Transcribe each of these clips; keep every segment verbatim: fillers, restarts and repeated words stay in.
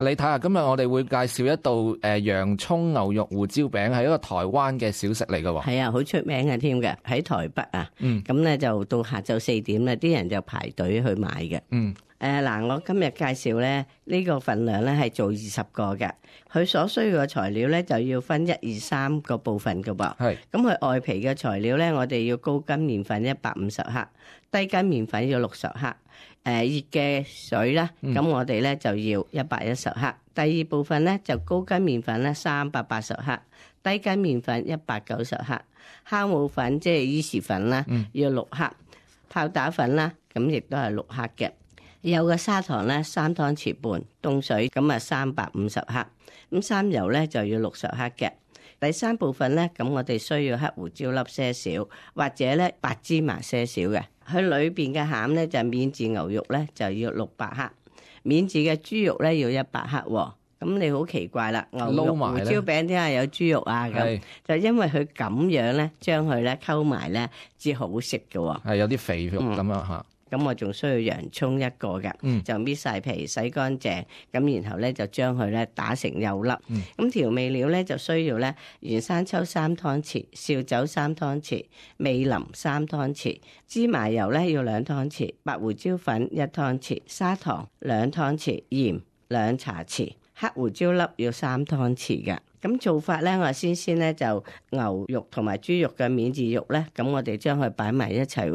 你睇下，今日我哋會介紹一道誒洋葱牛肉胡椒餅，係一個台灣嘅小食嚟嘅。係啊，好出名嘅添嘅，喺台北啊。嗯，咁咧就到下晝四點咧，啲人就排隊去買嘅。嗯。誒嗱、呃，我今日介紹咧呢、這個份量咧係做二十個嘅，佢所需要嘅材料咧就要分一二三個部分嘅噃。係是，咁佢外皮嘅材料咧，我哋要高筋麵粉一百五十克，低筋麵粉要六十克，誒、呃、熱嘅水啦，咁、嗯、我哋咧就要一百一十克。第二部分咧就高筋麵粉咧三百八十克，低筋麵粉一百九十克，酵母粉即係伊士粉啦，嗯、要六克，泡打粉啦，咁亦都係六克嘅。有個砂糖咧三湯匙半，凍水咁啊三百五十克，咁三油咧就要六十克嘅。第三部分咧，咁我哋需要黑胡椒粒些少，或者咧白芝麻些少嘅。佢裏邊嘅餡咧就免治牛肉咧就要六百克，免治嘅豬肉咧要一百克。咁你好奇怪啦，牛肉胡椒餅點解有豬肉啊？咁是就因為佢咁樣咧，將佢咧溝埋咧至好食嘅。係有啲肥肉咁樣吓。咁我仲需要洋葱一個嘅，嗯、就搣晒皮洗乾淨，咁然後咧就將佢咧打成幼粒。咁、嗯、調味料咧就需要咧原生抽三湯匙，紹酒三湯匙，味淋三湯匙，芝麻油咧要兩湯匙，白胡椒粉一湯匙，砂糖兩湯匙，鹽兩茶匙，黑胡椒粒要三湯匙嘅。咁做法咧，我先先咧就牛肉同埋豬肉嘅免治肉咧，咁我哋將佢擺埋一齊，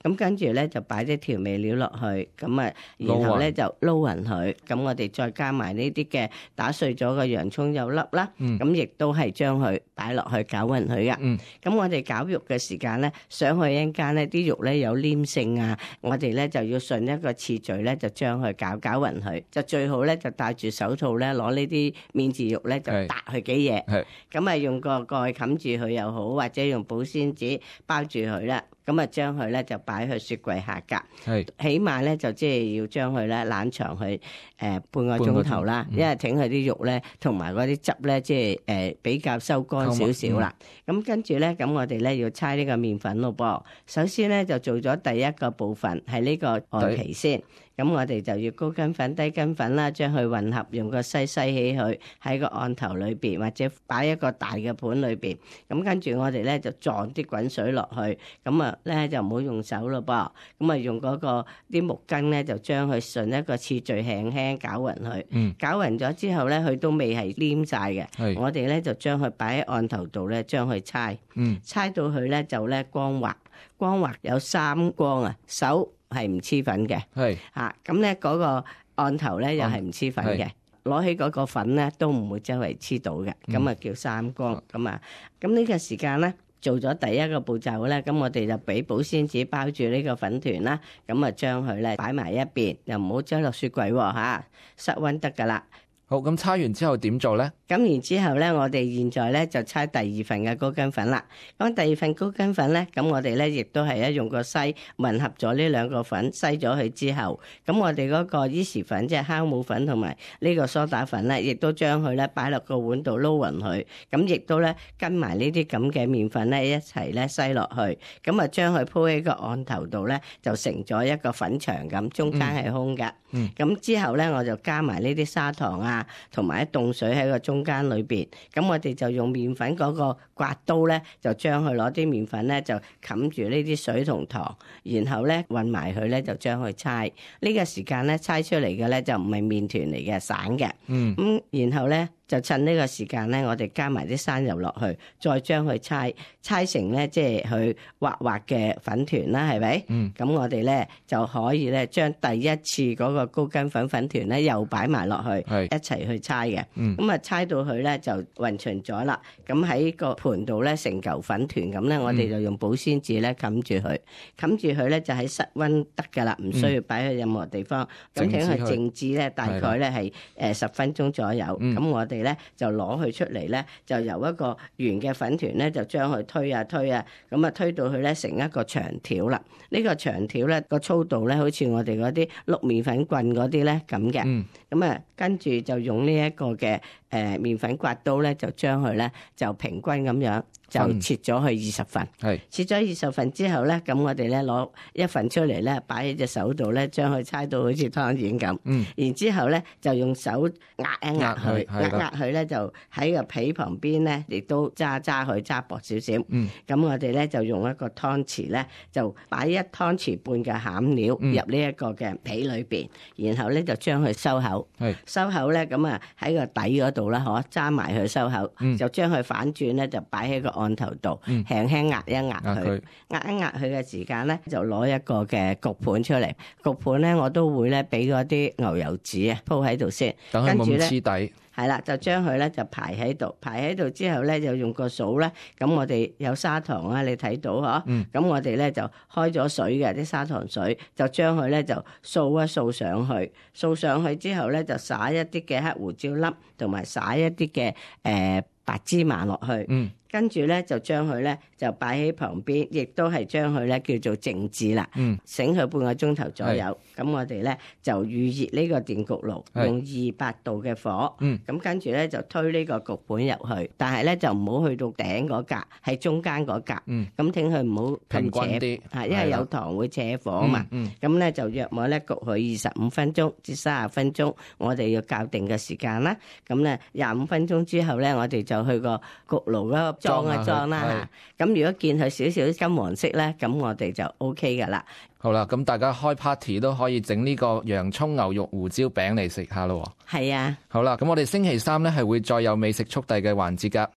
咁跟住咧就擺啲調味料落去，咁啊，然後咧就撈勻佢，咁我哋再加埋呢啲嘅打碎咗嘅洋葱幼粒啦，咁亦都係將佢擺落去攪勻佢嘅。咁、嗯、我哋攪肉嘅時間咧，想去一陣間咧啲肉咧有黏性啊，我哋咧就要順一個次序咧就將佢攪攪勻佢，就最好咧就戴住手套咧攞呢啲免治肉咧就搭佢幾嘢，咁啊用個蓋冚住佢又好，或者用保鮮紙包住佢啦。咁啊，將佢咧就擺去雪櫃下格，是起碼咧就即係要將佢咧冷藏去誒、呃、半個鐘頭啦，嗯、因為整佢啲肉咧同埋嗰啲汁咧即係誒比較收乾少少啦。咁、嗯、跟住咧，咁我哋咧要搓呢個麵粉咯噃。首先咧就做咗第一個部分係呢個外皮先。咁我哋就要高筋粉、低筋粉啦，將佢混合，用個篩篩起佢喺個案頭裏邊，或者擺一個大嘅盤裏邊。咁跟住我哋咧就撞啲滾水落去，咁啊咧就唔好用手咯噃。咁啊用嗰個啲木羹咧就將佢順一個次序輕輕攪勻佢。嗯。攪勻咗之後咧，佢都未係黏晒嘅。係。我哋咧就將佢擺喺案頭度咧，將佢搓。嗯。搓到佢咧就咧光滑，光滑有三光啊，手係唔黐粉嘅，係嚇咁咧嗰個案頭咧又係唔黐粉嘅，攞起嗰個粉咧都唔會周圍黐到嘅，咁啊、嗯、叫三光咁啊。咁呢個時間咧做咗第一個步驟咧，咁我哋就俾保鮮紙包住呢個粉團啦，咁啊將佢咧擺埋一邊，又唔好擠落雪櫃喎嚇，室溫得㗎啦。好，咁搓完之後點做咧？咁然之後咧，我哋現在咧就搓第二份嘅高筋粉啦。咁第二份高筋粉咧，咁我哋咧亦都係一用個篩混合咗呢兩個粉，篩咗佢之後，咁我哋嗰個伊士粉即係酵母粉同埋呢個梳打粉咧，亦都將佢咧擺落個碗度撈勻佢。咁亦都咧跟埋呢啲咁嘅麵粉咧一齊咧篩落去。咁啊將佢鋪喺個案頭度咧，就成咗一個粉牆咁，中間係空嘅。嗯。咁之後咧，我就加埋呢啲砂糖啊，同埋一凍水喺個中間裏邊，咁我哋就用麵粉嗰個刮刀咧，就將佢攞啲麵粉咧就冚住呢啲水同糖，然後咧混埋佢咧就將佢搓。呢個時間咧搓出嚟嘅咧就唔係麵團嚟嘅，散嘅。嗯，咁然後咧就趁呢個時間咧，我哋加埋啲生油落去，再將佢搓搓成咧即係佢滑滑嘅粉團啦，係咪？嗯，咁我哋咧就可以咧將第一次嗰個高筋粉粉團咧又擺埋落去，係一齊去搓嘅。嗯，咁啊搓到佢咧就勻勻咗啦。咁喺個盤度咧成嚿粉團咁咧，我哋就用保鮮紙咧冚住佢，冚住佢咧就喺室溫得噶啦，唔需要擺去任何地方。咁請佢靜置咧，大概咧係誒十分鐘左右。咁、嗯、我哋咧就攞佢出嚟咧，就由一個圓嘅粉團咧，就將佢推啊推啊，咁啊推到佢咧成一個長條啦。呢、這個長條咧個粗度咧，好似我哋嗰啲碌麵粉棍嗰啲咧咁嘅。咁啊、嗯，跟住就用呢一個嘅誒麵粉刮刀咧，就將佢咧就平均咁樣就切咗去二十份，切咗二十份之後咧，咁我哋咧攞一份出嚟咧，擺喺隻手度咧，將佢搓到好似湯圓咁。嗯，然之後咧就用手壓一壓佢，壓壓佢咧就喺個皮旁邊咧，亦都揸揸佢揸薄少少。嗯，咁我哋咧就用一個湯匙咧，就擺一湯匙半嘅餡料入呢一個嘅皮裏邊，嗯、然後咧就將佢收口。係收口咧，咁啊喺個底嗰度啦，嗬，揸埋佢收口，嗯、就將佢反轉咧，就擺喺個案頭度，輕輕壓一壓佢，壓一壓佢嘅時間咧，就攞一個嘅焗盤出嚟。焗盤咧，我都會咧俾嗰啲牛油紙啊鋪喺度先，跟住咧黐底。係啦，就將佢咧就排喺度，排喺度之後咧就用個掃咧，咁我哋有砂糖啊，你睇到嗬，咁、嗯、我哋咧就開咗水嘅啲砂糖水，就將佢咧就掃一掃上去，掃上去之後咧就撒一啲嘅黑胡椒粒，同埋撒一啲嘅誒白芝麻落去。嗯，跟住咧就將佢咧就擺喺旁邊，亦都係將佢咧叫做靜置啦。嗯，醒佢半個鐘頭左右。咁我哋咧就預熱呢個電焗爐，用二百度嘅火。嗯，咁跟住咧就推呢個焗盤入去，但係咧就唔好去到頂嗰格，係中間嗰格。嗯，咁聽佢唔好咁扯啲，係因為有糖會扯火嘛。嗯，咁咧就約莫咧焗佢二十五分鐘至三十分鐘，我哋要校定嘅時間啦。咁咧廿五分鐘之後咧，我哋就去個焗爐嗰個裝一裝啦嚇。咁如果見佢少少金黃色咧，咁我哋就 O K 噶啦。好啦，咁大家開 party 都可以整呢個洋蔥牛肉胡椒餅嚟食下咯。係啊。好啦，咁我哋星期三咧係會再有美食速遞嘅環節噶。